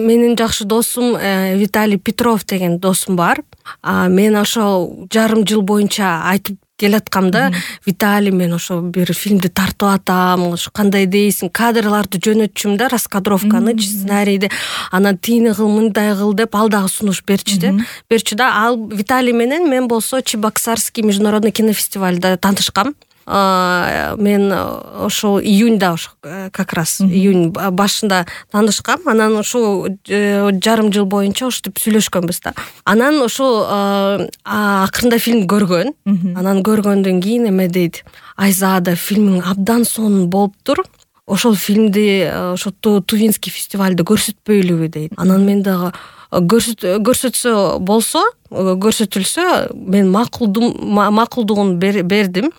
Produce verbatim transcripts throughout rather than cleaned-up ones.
менин жакшы досум Виталий Петров деген досум бар. Мен ошол жарым жыл боюнча айтып келаткамда, Виталий, мен ошо бир фильмди тартып атам, ошо кандай дейсиң, кадрларды жөнөтчүм да, раскадровканы, сценарийди, анан тийини кыл, мындай кыл деп ал дагы сунуш берчү да. Берчү да, ал Виталий менен мен болсо Чебоксарский международный кинофестивальда таанышкам. Мен ошол июньда ошо как раз июнь башында таанышкам. Анан ошо жарым жыл боюнча ошентип сүйлөшкөнбүз да. Анан ошо акырында фильм көргөн. Анан көргөндөн кийин эме дейт: Айзада, фильмиң абдан сонун болуптур. Ошол фильмди ошо Тувинский фестивалда көрсөтпөйлүбү дейт. Анан мен дагы көрсөтсө болсо, көрсөтүлсө, мен макулдум макулдугун бердим.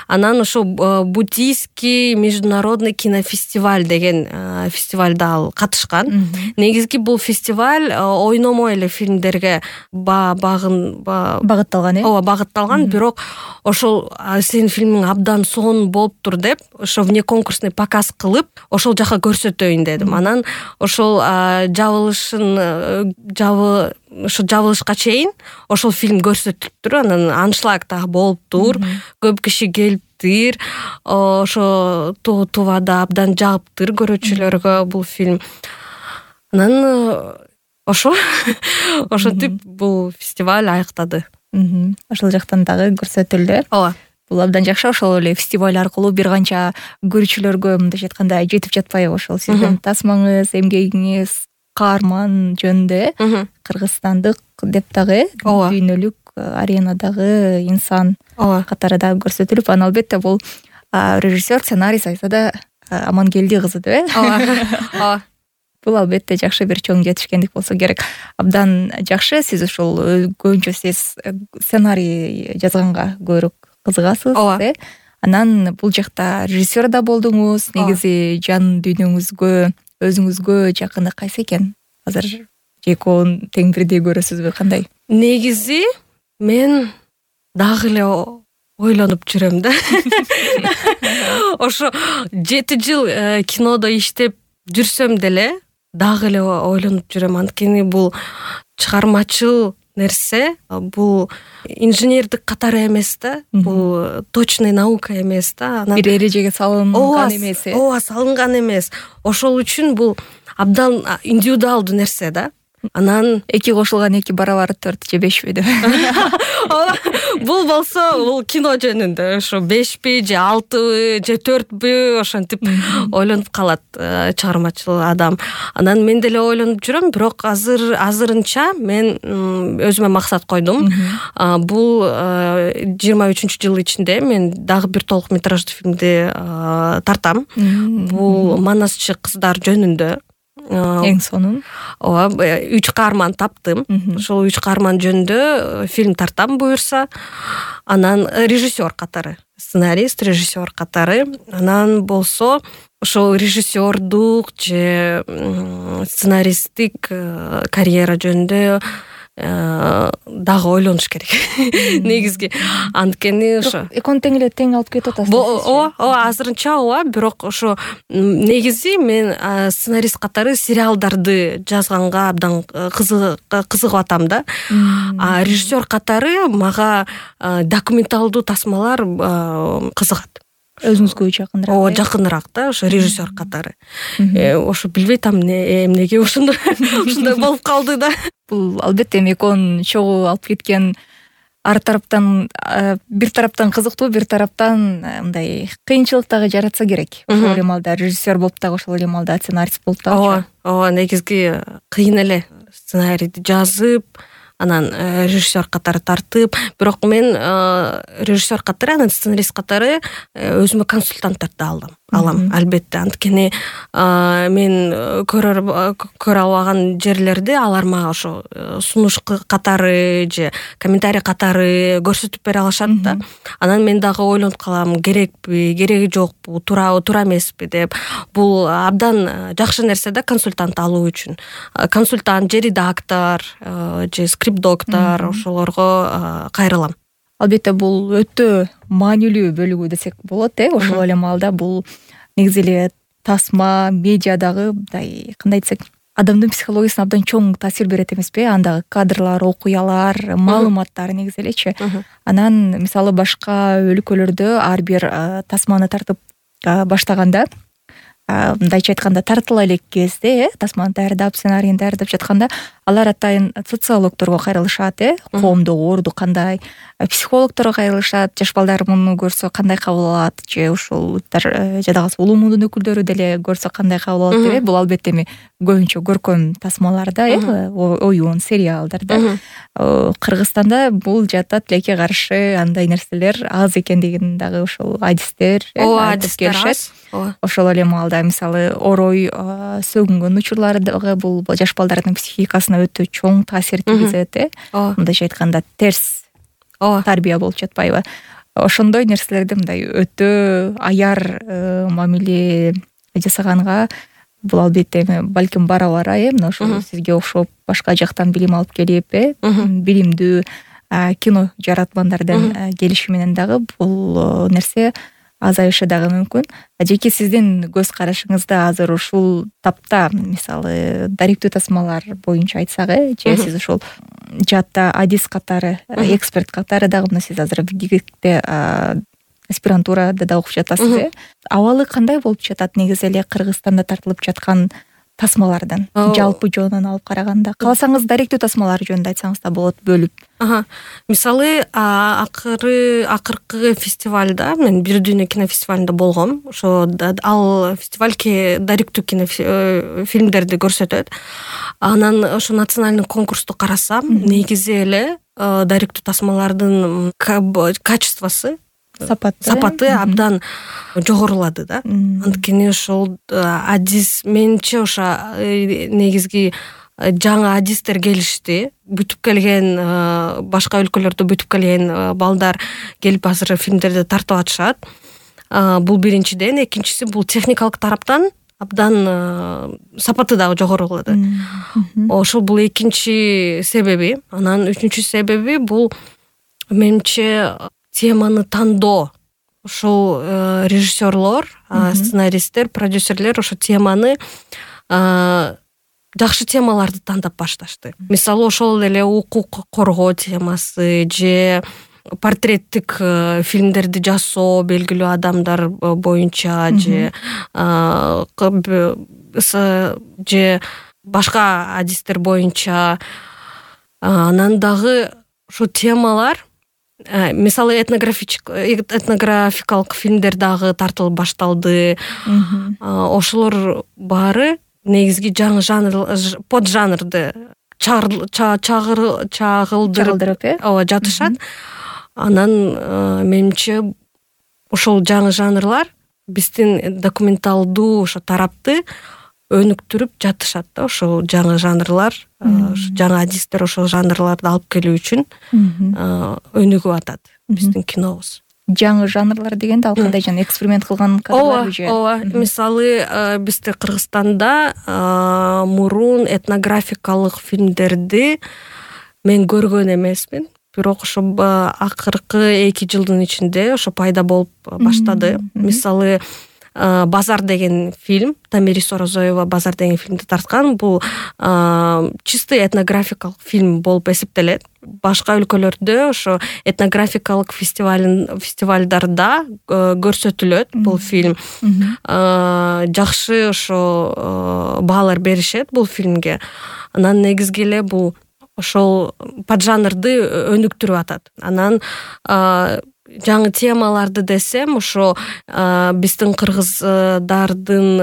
Анан ошо Бутийский международный кинофестиваль деген фестивалда ал катышкан. Негизги бул фестиваль ойномой эле фильмдерге багын багытталган, э? Ооба, багытталган, бирок ошол сенин фильмиң абдан сонун болуптур деп, ошо внеконкурсный показ кылып, ошол жака көрсөтөйүн дедим. Анан ошол жабылышын жабы ошо жабылышка чейин ошол фильм көрсөтүлүптүр. Анан аншлаг дагы болуптур, көп киши келиптир. Ошо Тувада абдан жагыптыр көрүүчүлөргө бул фильм. Анан ошо ошентип бул фестиваль аяктады. Ошол жактан дагы көрсөтүлдү. Ооба. Бул абдан жакшы. Ошол эле фестиваль аркылуу бир канча көрүүчүлөргө мындайча айтканда жетип жатпайбы ошол сиздин тасмаңыз, эмгегиңиз, каарман жөнүндө кыргызстандык деп дагы дүйнөлүк аренадагы инсан катары дагы көрсөтүлүп, анан албетте бул режиссер, сценарист Айзада Амангелди кызы деп, э? Ооба. Бул албетте жакшы бир чоң жетишкендик болсо керек. Абдан жакшы. Сиз ушул көбүнчө сиз сценарий жазганга көбүрөөк кызыгасыз, э? Анан бул жакта режиссер да болдуңуз. Негизи жан дүйнөңүзгө, өзүңүзгө жакыны кайсы экен? Азыр экөөнүн тең бирдей көрөсүзбү, кандай? Негизи мен дагы эле ойлонуп жүрөм да. Ошо жети жыл кинодо иштеп жүрсөм деле дагы эле ойлонуп жүрөм. Анткени бул чыгармачыл нерсе, бул инженердик катары эмес да, бул точный наука эмес да. Бир эрежеге салынган эмес. Ооба, салынган эмес. Ошол үчүн бул абдан индивидуалдуу нерсе да. Анан эки кошулган эки барабар төрт же бешпи деп. Бул болсо бул кино жөнүндө ошо бешпи же алтыбы же төртпү ошентип ойлонуп калат чыгармачыл адам. Анан мен деле ойлонуп жүрөм, бирок азыр азырынча мен өзүмө максат койдум. Бул жыйырма үчүнчү жыл ичинде мен дагы бир толук метраждуу фильмди тартам. Бул Манасчы кыздар жөнүндө. Эң сонун. Ооба, үч каарман таптым. Ошол үч каарман жөнүндө фильм тартам буюрса. Анан режиссер катары, сценарист, режиссер катары. Анан болсо ошол режиссердук же сценаристтик карьера жөнүндө дагы ойлонуш керек. Негизги анткени ошо экөөнү тең эле тең алып кетип атасыз. Ооба, ооба, азырынча ооба, бирок ошо негизи мен сценарист катары сериалдарды жазганга абдан кызыгып атам да. А режиссер катары мага документалдуу тасмалар кызыгат. Өзүңүзгө жакыныраак. Ооба, жакыныраак да, ошо режиссер катары. Ошо билбей атам эмнеге ошондой ушундай болуп калды да. Бул албетте экөөнүн чогуу алып кеткен ар тараптан бир тараптан кызыктуу, бир тараптан мындай кыйынчылык дагы жаратса керек. Ошол эле маалда режиссер болуп дагы, ошол эле маалда сценарист болуп дагы. Ооба, ооба, негизги кыйын эле сценарийди жазып, анан режиссер катары тартып, бирок мен режиссер катары, анан сценарист катары өзүмө консультанттарды алдым. Алам, албетте, анткени мен көрө көрө албаган жерлерди алар мага ошо сунуш катары же комментарий катары көрсөтүп бере алышат да. Анан мен дагы ойлонуп калам, керекпи, кереги жокпу, туурабы, туура эмеспи деп. Бул абдан жакшы нерсе да, консультант алуу үчүн. Консультант же редактор же скрипт доктор, ошолорго кайрылам. Албетте, бул өтө маанилүү бөлүгү десек болот, э? Ошол эле маалда бул негизи эле тасма, медиадагы мындай кандай десек, адамдын психологиясына абдан чоң таасир берет эмеспи? Андагы кадрлар, окуялар, маалыматтар негизи элечи. Анан мисалы башка өлкөлөрдө ар бир тасманы тартып баштаганда, мындайча айтканда тартыла элек кезде, э, тасманы даярдап, сценарийин даярдап жатканда, алар атайын социологторго кайрылышат, э, коомдогу орду кандай, психологторго кайрылышат, жаш балдар муну көрсө кандай кабыл алат, же ушул жада калса улуу мундун өкүлдөрү деле көрсө кандай кабыл алат деп. Бул албетте эми көбүнчө көркөм тасмаларда, э, оюн, сериалдарда. Кыргызстанда бул жатат тилекке каршы андай нерселер аз экендигин дагы ошол адистер айтып келишет. Ошол эле маалда мисалы орой сөгүнгөн учурлары дагы бул жаш балдардын психикасына өтө чоң таасир тийгизет, э. Мындайча айтканда терс тарбия болуп жатпайбы? Ошондой нерселерди мындай өтө аяр мамиле жасаганга бул албетте эми балким бара-бара, э, мына ошол сизге окшоп башка жактан билим алып келип, э, билимдүү кино жаратмандардын келиши менен дагы бул нерсе азайышы дагы мүмкүн. Жеке сиздин көз карашыңызда азыр ушул тапта мисалы даректүү тасмалар боюнча айтсак, э, же сиз ошол жаатта адис катары, эксперт катары дагы мына сиз азыр ГИГИКте аспирантурада да окуп жатасыз, э. Абалы кандай болуп жатат негизи эле Кыргызстанда тартылып жаткан тасмалардан жалпы жөнүнөн алып караганда? Кааласаңыз даректүү тасмалар жөнүндө айтсаңыз да болот, бөлүп. Мисалы акыры акыркы фестивалда мен Бир дүйнө кинофестивалында болгом. Ошо ал фестиваль даректүү кинофильмдерди көрсөтөт. Анан ошо национальный конкурсту карасам, негизи эле даректүү тасмалардын качествосу, сапаты сапаты абдан жогорулады да. Анткени ошол адис менче ошо негизги жаңы адистер келишти. Бүтүп келген башка өлкөлөрдө бүтүп келген балдар келип азыр фильмдерди тартып атышат. Бул биринчиден, экинчиси бул техникалык тараптан абдан сапаты дагы жогорулады. Ошол бул экинчи себеби. Анан үчүнчү себеби бул менимче теманы тандоо. Ошол режиссерлор, сценаристтер, продюсерлер ошо теманы жакшы темаларды тандап башташты. Мисалы ошол эле укук коргоо темасы же портреттик фильмдерди жасоо белгилүү адамдар боюнча же же башка адистер боюнча. Анан дагы ошо темалар мисалы этнографикалык фильмдер дагы тартылып башталды. Ошолор баары негизги жаңы жанр, под жанрды чагылдырып ооба жатышат. Анан менимче ошол жаңы жанрлар биздин документалдуу ошо тарапты өнүктүрүп жатышат да. Ошол жаңы жанрлар, жаңы адистер ошол жанрларды алып келүү үчүн өнүгүп атат биздин кинобуз. Жаңы жанрлар дегенде ал кандай жана эксперимент кылган кадрларбы же? Ооба, мисалы бизде Кыргызстанда мурун этнографикалык фильмдерди мен көргөн эмесмин. Бирок ошо акыркы эки жылдын ичинде ошо пайда болуп баштады. Мисалы Базар деген фильм, Тамирис Орозоева Базар деген фильмди тарткан. Бул чисты этнографикалык фильм болуп эсептелет. Башка өлкөлөрдө ошо этнографикалык фестивалдарда көрсөтүлөт бул фильм. Жакшы ошо баалар беришет бул фильмге. Анан негизги эле бул ошол поджанрды өнүктүрүп атат. Анан жаңы темаларды десем, ошо биздин кыргыздардын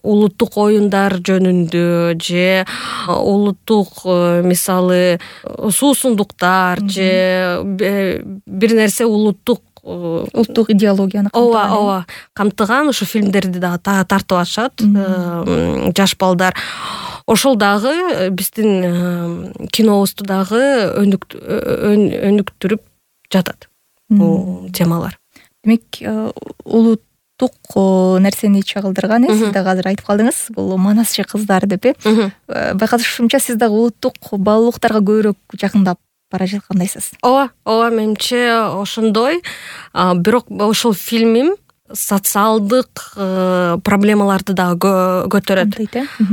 улуттук оюндар жөнүндө же улуттук мисалы суусундуктар же бир нерсе улуттук улуттук идеологияны ооба ооба камтыган ошо фильмдерди дагы тартып атышат жаш балдар. Ошол дагы биздин кинобузду дагы өнүктүрүп жатат бул темалар. Демек, улуттук нерсени чагылдырган, сиз дагы азыр айтып калдыңыз, бул манасчы кыздар деп, э? Байкашымча сиз дагы улуттук баалуулуктарга көбүрөөк жакындап бара жаткандайсыз. Ооба, ооба, менимче ошондой. Бирок ошол фильмим социалдык проблемаларды дагы көтөрөт.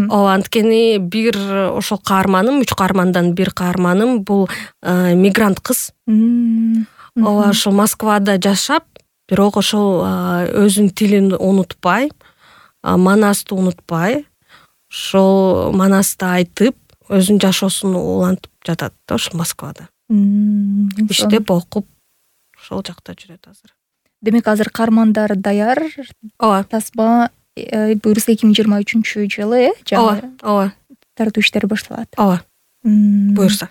Ооба, анткени бир ошол каарманым, үч каармандан бир каарманым бул мигрант кыз. Ооба, ошол Москвада жашап, бирок ошол өзүнүн тилин унутпай, Манасты унутпай, ошол Манасты айтып, өзүнүн жашоосун улантып жатат да ошол Москвада. Иштеп, окуп, ошол жакта жүрөт азыр. Демек азыр каармандар даяр. Ооба. Тасма буюрса эки миң жыйырма үчүнчү жылы, э? Ооба, ооба. Тартуу иштери башталат. Ооба. Буюрса.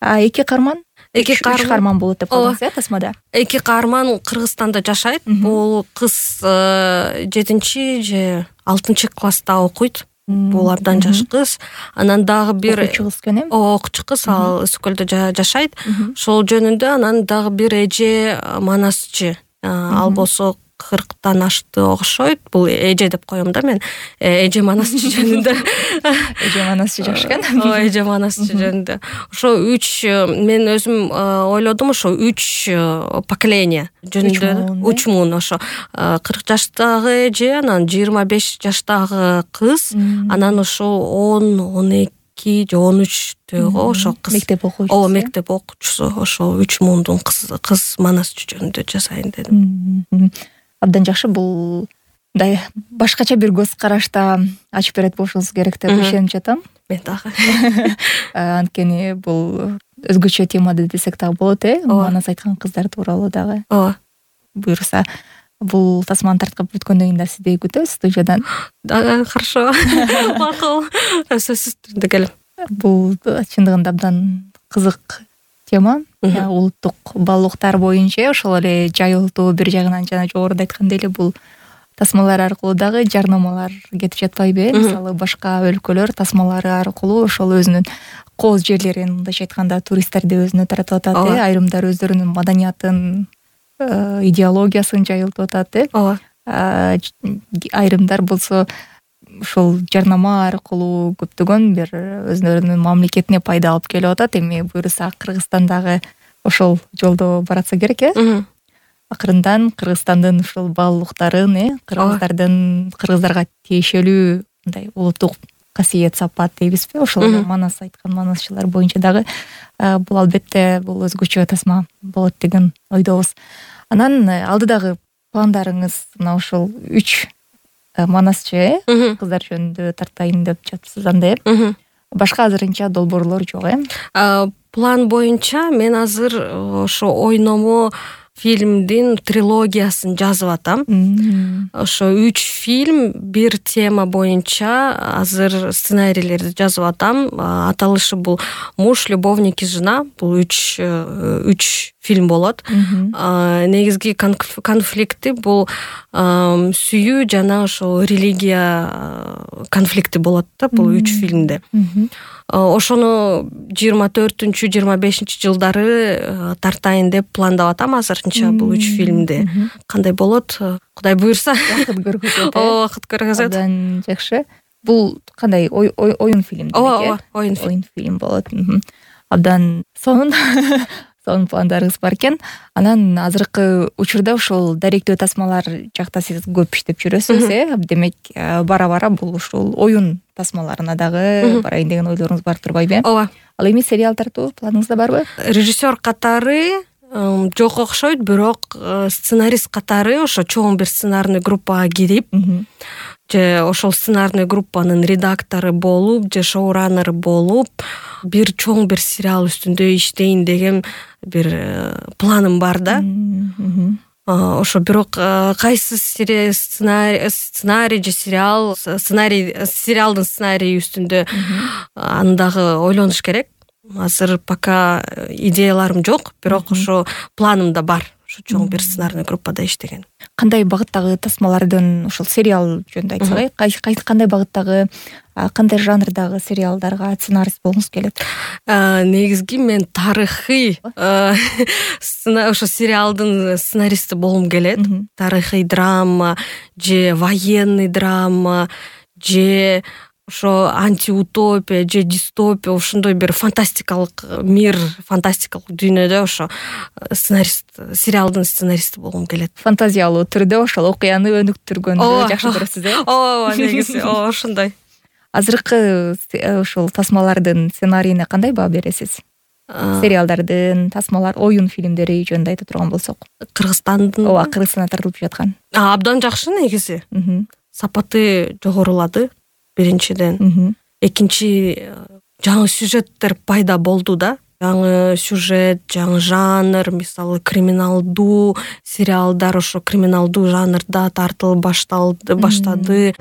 А эки каарман? Эки каарман болот деп калдыңыз, э, тасмада? Эки каарман Кыргызстанда жашайт. Бул кыз жетинчи же алтынчы класста окуйт. Бул абдан жаш кыз. Анан дагы бир окуучу кыз экен, э? Окуучу кыз, ал Ысык көлдө жашайт. Ошол жөнүндө анан дагы бир эже манасчы. Ал болсо кырктан ашты окшойт. Бул эже деп коем да мен. Эже манасчы жөнүндө. Эже манасчы жакшы экен. Ооба, эже манасчы жөнүндө. Ошо үч, мен өзүм ойлодум, ошо үч поколение жөнүндө. Үч муун ошо кырк жаштагы эже, анан жыйырма беш жаштагы кыз, анан ошо он, он эки же он үчтөгү ошо кыз. Мектеп окуучусу. Ооба, мектеп окуучусу. Ошо үч муундун кыз кыз манасчы жөнүндө жасайын дедим. Абдан жакшы. Бул мындай башкача бир көз карашта ачып берет болушуңуз керек деп ишенип жатам. Мен дагы. Анткени бул өзгөчө темада десек дагы болот, э? Манас айткан кыздар тууралуу дагы. Ооба. Буюрса, бул тасманы тарткап бүткөндөн кийин да сизди күтөбүз студиядан. Да, хорошо. Макул. Сөзсүз түрдө келем. Бул чындыгында абдан кызык тема. Улуттук баалуулуктар боюнча ошол эле жайылтуу, бир жагынан жана жогоруда айткандай эле бул тасмалар аркылуу дагы жарнамалар кетип жатпайбы? Мисалы, башка өлкөлөр тасмалары аркылуу ошол өзүнүн кооз жерлерин, мындайча айтканда, туристтерди өзүнө таратып атат, э? Айрымдар өздөрүнүн маданиятын, идеологиясын жайылтып атат, э? Ооба. Айрымдар болсо ошол жарнама аркылуу көптөгөн бир өзүнүн мамлекетине пайда алып келип атат. Эми буюрса Кыргызстандагы ошол жолдо баратса керек, э? Акырындан Кыргызстандын ушул баалуулуктарын, э, кыргыздардын кыргыздарга тиешелүү мындай улуттук касиет, сапат дейбизби? Ошол Манас айткан манасчылар боюнча дагы бул албетте бул өзгөчө тасма болот деген ойдобуз. Анан алдыдагы пландарыңыз мына ушул үч манасчы, э, кыздар жөнүндө тартайын деп жатсыз анда, э? Башка азырынча долбоорлор жок, э? План боюнча мен азыр ошо ойномо фильмдин трилогиясын жазып атам. Ошо үч фильм, бир тема боюнча азыр сценарийлерди жазып атам. Аталышы бул «Муж, любовник и жена». Бул үч үч фильм болот. Негизги конфликти бул сүйүү жана ошо религия конфликти болот да бул үч фильмде. Ошону жыйырма төртүнчү жыйырма бешинчи жылдары тартайын деп пландап атам азырынча бул үч фильмди. Кандай болот? Кудай буйрса. Вакыт көргөзөт. Ооба, вакыт көргөзөт. Абдан жакшы. Бул кандай оюн фильм демек, э? Ооба, оюн фильм болот. Абдан сонун сонун пландарыңыз бар экен. Анан азыркы учурда ушул даректөө тасмалар жакта сиз көп иштеп жүрөсүз, э? Демек, бара-бара бул ушул оюн тасмаларына дагы барайын деген ойлоруңуз бар турбайбы? Ооба. Ал эми сериал тартуу планыңызда барбы? Режиссер катары жок окшойт, бирок сценарист катары ошо чоң бир сценарный группага кирип, же ошол сценарный группанын редактору болуп, же шоураннери болуп, бир чоң бир сериал үстүндө иштейин деген бир планым бар да. Ошо бирок кайсы сценарий сценарий же сериал сценарий сериалдын сценарийи үстүндө аны дагы ойлонуш керек. Азыр пока идеяларым жок, бирок ошо планымда бар. Ошо чоң бир сценарный группада иштеген. Кандай багыттагы тасмалардын ушул сериал жөнүндө айтсак, кандай багыттагы, кандай жанрдагы сериалдарга сценарист болгуңуз келет? Негизги мен тарыхый ошо сериалдын сценаристи болгум келет. Тарыхый драма же военный драма же ошо антиутопия же дистопия, ошондой бир фантастикалык мир, фантастикалык дүйнөдө ошо сценарист, сериалдын сценаристи болгум келет. Фантазиялуу түрдө ошол окуяны өнүктүргөндү жакшы көрөсүз, э? ооба, негизи ооба ошондой. Азыркы ушул тасмалардын сценарийине кандай баа бересиз? Сериалдардын, тасмалар, оюн фильмдери жөнүндө айта турган болсок. Кыргызстандын ооба, Кыргызстандан тартылып жаткан. Абдан жакшы негизи. Сапаты жогорулады биринчиден. Экинчи, жаңы сюжеттер пайда болду да. Жаңы сюжет, жаңы жанр, мисалы криминалдуу сериалдар ошо криминалдуу жанрда тартылып башталды, баштады.